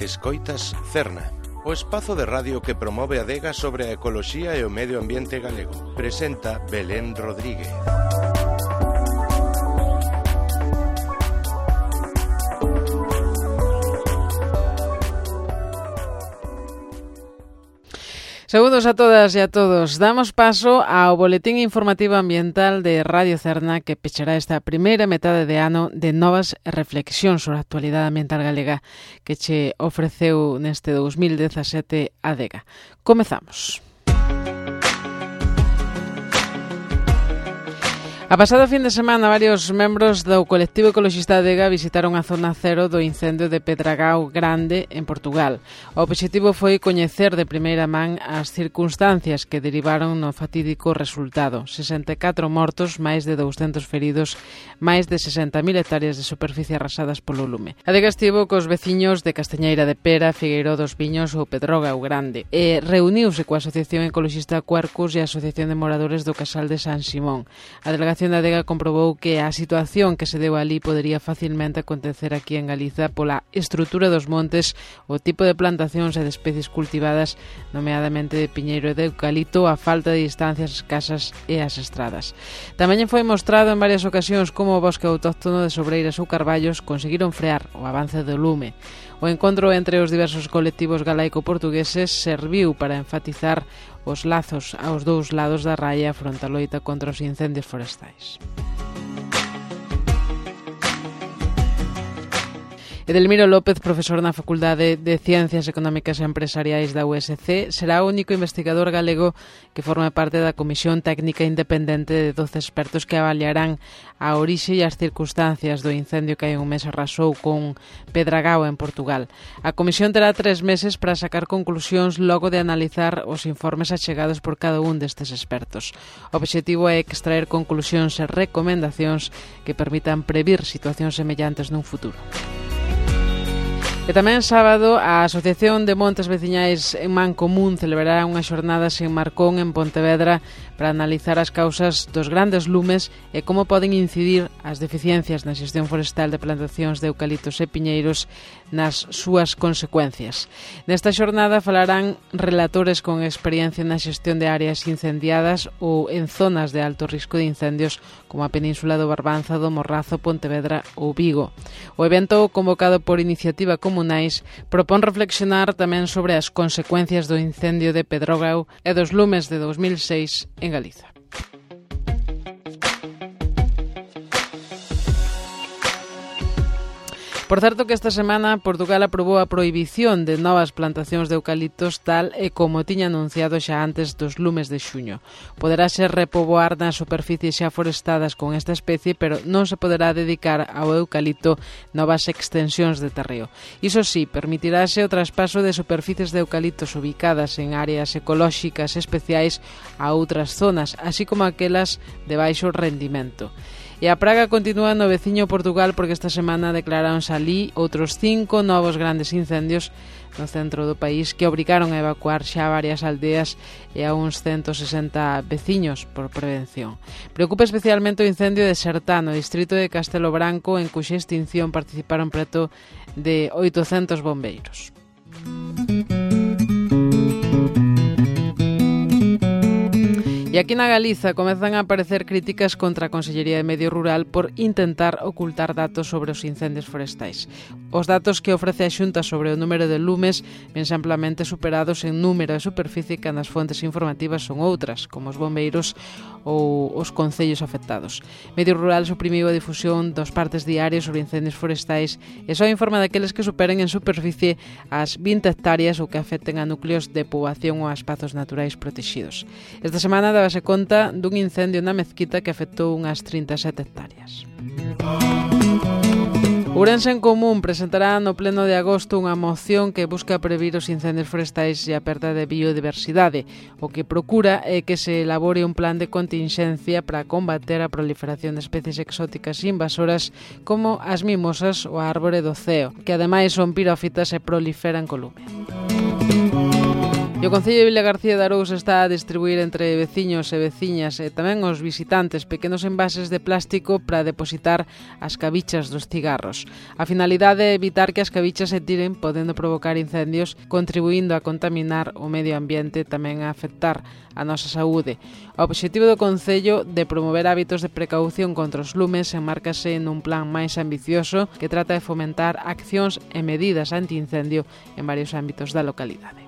Escoitas Cerna, o espazo de radio que promove a adega sobre a ecoloxía e o medio ambiente galego. Presenta Belén Rodríguez. Saúdos a todas e a todos. Damos paso ao boletín informativo ambiental de Radio Cerna que pechará esta primeira metade de ano de novas reflexións sobre a actualidade ambiental galega que che ofreceu neste 2017 a adega. Comezamos. A pasado fin de semana, varios membros do colectivo ecoloxista Adega visitaron a zona cero do incendio de Pedragao Grande, en Portugal. O obxectivo foi coñecer de primeira man as circunstancias que derivaron no fatídico resultado. 64 mortos, máis de 200 feridos, máis de 60.000 hectáreas de superficie arrasadas polo lume. Adega estivo cos veciños de Castañeira de Pera, Figueiró dos Viños ou Pedrógao Grande e reuniuse coa Asociación Ecoloxista Cuarcus e a Asociación de Moradores do Casal de San Simón. A delegación da Adega comprobou que a situación que se deu ali podería facilmente acontecer aquí en Galiza pola estrutura dos montes, o tipo de plantacións e de especies cultivadas, nomeadamente de piñeiro e de eucalipto, a falta de distancias escasas e as estradas. Tamén foi mostrado en varias ocasións como o bosque autóctono de sobreiras ou carballos conseguiron frear o avance do lume. O encontro entre os diversos colectivos galaico-portugueses serviu para enfatizar os lazos aos dous lados da raia fronte á loita contra os incendios forestais. Edelmiro López, profesor na Facultade de Ciencias Económicas e Empresariais da USC, será o único investigador galego que forma parte da Comisión Técnica Independente de 12 expertos que avaliarán a orixe e as circunstancias do incendio que hai un mes arrasou con Pedragao en Portugal. A comisión terá 3 meses para sacar conclusións logo de analizar os informes achegados por cada un destes expertos. O obxectivo é extraer conclusións e recomendacións que permitan previr situacións semellantes nun futuro. E tamén sábado a Asociación de Montes Veciñais en Mancomún celebrará unhas xornadas en Marcón, en Pontevedra, para analizar as causas dos grandes lumes e como poden incidir as deficiencias na xestión forestal de plantacións de eucaliptos e piñeiros nas súas consecuencias. Nesta xornada falarán relatores con experiencia na xestión de áreas incendiadas ou en zonas de alto risco de incendios como a Península do Barbanza, do Morrazo, Pontevedra ou Vigo. O evento, convocado por Iniciativa Comunais, propón reflexionar tamén sobre as consecuencias do incendio de Pedrógao e dos lumes de 2006 en Galiza. Por certo que esta semana Portugal aprobou a prohibición de novas plantacións de eucaliptos tal e como tiña anunciado xa antes dos lumes de xuño. Poderase repoboar nas superficies xa forestadas con esta especie, pero non se poderá dedicar ao eucalipto novas extensións de terreo. Iso sí, permitirase o traspaso de superficies de eucaliptos ubicadas en áreas ecolóxicas especiais a outras zonas, así como aquelas de baixo rendimento. E a praga continúa no veciño Portugal porque esta semana declararonse ali outros 5 novos grandes incendios no centro do país que obrigaron a evacuar xa varias aldeas e a uns 160 veciños por prevención. Preocupa especialmente o incendio de Sertá, no distrito de Castelo Branco, en cuxa extinción participaron preto de 800 bombeiros. E aquí na Galiza comezan a aparecer críticas contra a Consellería de Medio Rural por intentar ocultar datos sobre os incendios forestais. Os datos que ofrece a Xunta sobre o número de lumes vense amplamente superados en número e superficie cando as fontes informativas son outras, como os bombeiros ou os concellos afectados. Medio Rural suprimiu a difusión dos partes diarios sobre incendios forestais e só informa daqueles que superen en superficie as 20 hectáreas ou que afecten a núcleos de poboación ou a espazos naturais protegidos. Esta semana dábase conta dun incendio na Mezquita que afectou unhas 37 hectáreas. Ourense en Común presentará no pleno de agosto unha moción que busca previr os incendios forestais e a perda de biodiversidade. O que procura é que se elabore un plan de continxencia para combater a proliferación de especies exóticas invasoras como as mimosas ou a árbore do ceo, que ademais son pirófitas e proliferan co lume. E o Concello de Vilagarcía de Arousa está a distribuir entre veciños e veciñas e tamén os visitantes pequenos envases de plástico para depositar as cabichas dos cigarros. A finalidade é evitar que as cabichas se tiren, podendo provocar incendios, contribuindo a contaminar o medio ambiente e tamén a afectar a nosa saúde. O obxectivo do Concello de promover hábitos de precaución contra os lumes enmárcase nun plan máis ambicioso que trata de fomentar accións e medidas antiincendio en varios ámbitos da localidade.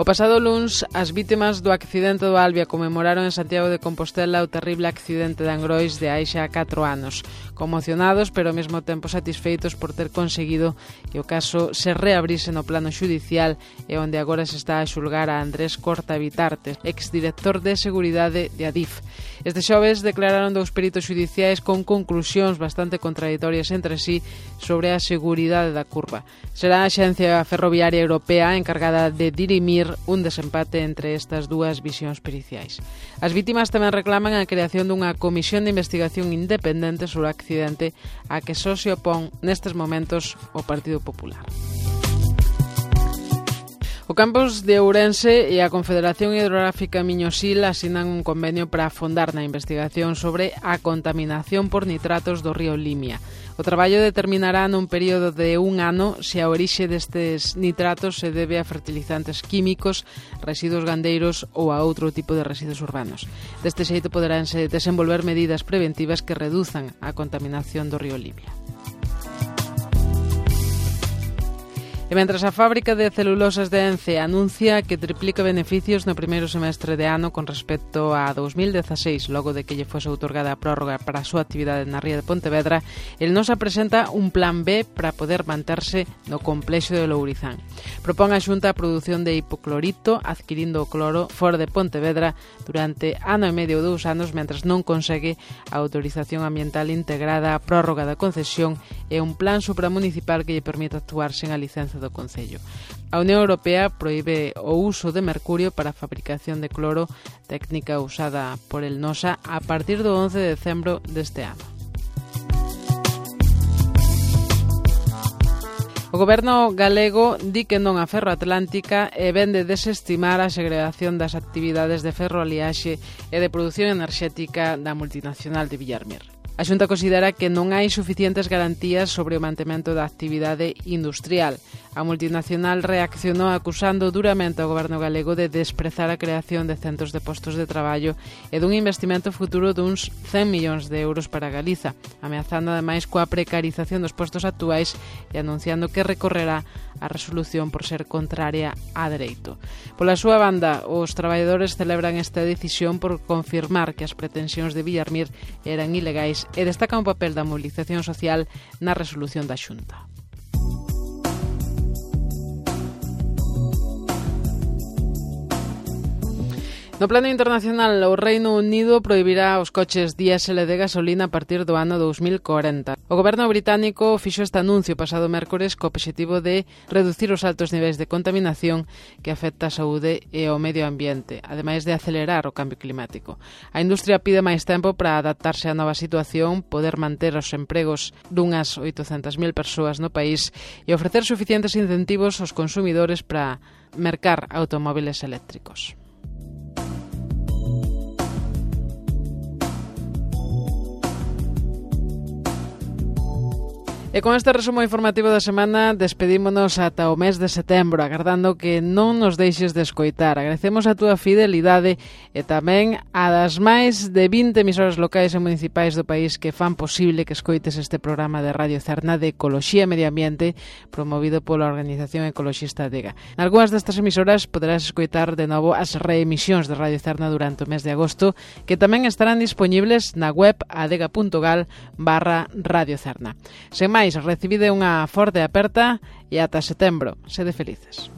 O pasado luns, as vítimas do accidente do Albia conmemoraron en Santiago de Compostela o terrible accidente de Angrois de hai xa 4 anos. Conmocionados, pero ao mesmo tempo satisfeitos por ter conseguido que o caso se reabrise no plano xudicial e onde agora se está a xulgar a Andrés Corta Vitarte, exdirector de Seguridade de Adif. Este xoves declararon 2 peritos xudiciais con conclusións bastante contraditorias entre sí sobre a seguridade da curva. Será a Axencia Ferroviaria Europea encargada de dirimir un desempate entre estas dúas visións periciais. As vítimas tamén reclaman a creación dunha comisión de investigación independente sobre o accidente a que só se opón nestes momentos o Partido Popular. O campus de Ourense e a Confederación Hidrográfica Miñosil asinan un convenio para afondar na investigación sobre a contaminación por nitratos do río Limia. O traballo determinará nun período de 1 ano se a orixe destes nitratos se debe a fertilizantes químicos, residuos gandeiros ou a outro tipo de residuos urbanos. Deste xeito poderánse desenvolver medidas preventivas que reduzan a contaminación do río Limia. E mentras a fábrica de celulosas de Ence anuncia que triplica beneficios no primeiro semestre de ano con respecto a 2016, logo de que lle fose outorgada a prórroga para a súa actividade na ría de Pontevedra, el nos apresenta un plan B para poder manterse no complexo de Lourizán. Propón a Xunta a produción de hipoclorito adquirindo o cloro fora de Pontevedra durante ano e medio ou 2 anos mentras non consegue a autorización ambiental integrada, a prórroga da concesión e un plan supramunicipal que lle permite actuar sen a licenza do Concello. A Unión Europea proíbe o uso de mercurio para a fabricación de cloro, técnica usada por el Nosa a partir do 11 de decembro deste ano. O goberno galego di que non a Ferroatlántica e ven de desestimar a segregación das actividades de ferroaliaxe e de produción enerxética da multinacional de Villarmir. A Xunta considera que non hai suficientes garantías sobre o mantemento da actividade industrial. A multinacional reaccionou acusando duramente ao goberno galego de desprezar a creación de centos de postos de traballo e dun investimento futuro duns 100 millóns de euros para Galiza, ameazando ademais coa precarización dos postos actuais e anunciando que recorrerá a resolución por ser contraria a dereito. Pola súa banda, os traballadores celebran esta decisión por confirmar que as pretensións de Villarmir eran ilegais e destacan o papel da movilización social na resolución da Xunta. No plano internacional, o Reino Unido prohibirá os coches diésel de gasolina a partir do ano 2040. O goberno británico fixo este anuncio pasado mércores co obxectivo de reducir os altos niveis de contaminación que afecta a saúde e o medio ambiente, ademais de acelerar o cambio climático. A industria pide máis tempo para adaptarse á nova situación, poder manter os empregos dunhas 800.000 persoas no país e ofrecer suficientes incentivos aos consumidores para mercar automóviles eléctricos. E con este resumo informativo da semana despedímonos ata o mes de setembro, agardando que non nos deixes de escoitar. Agradecemos a túa fidelidade e tamén a das máis de 20 emisoras locais e municipais do país que fan posible que escoites este programa de Radio Cerna de Ecoloxía e Medio Ambiente promovido pola Organización Ecoloxista Adega. Nalgúas destas emisoras poderás escoitar de novo as reemisións de Radio Cerna durante o mes de agosto, que tamén estarán dispoñibles na web adega.gal/Radio Cerna. Sen máis, recibide unha forte aperta e ata setembro. Sede felices.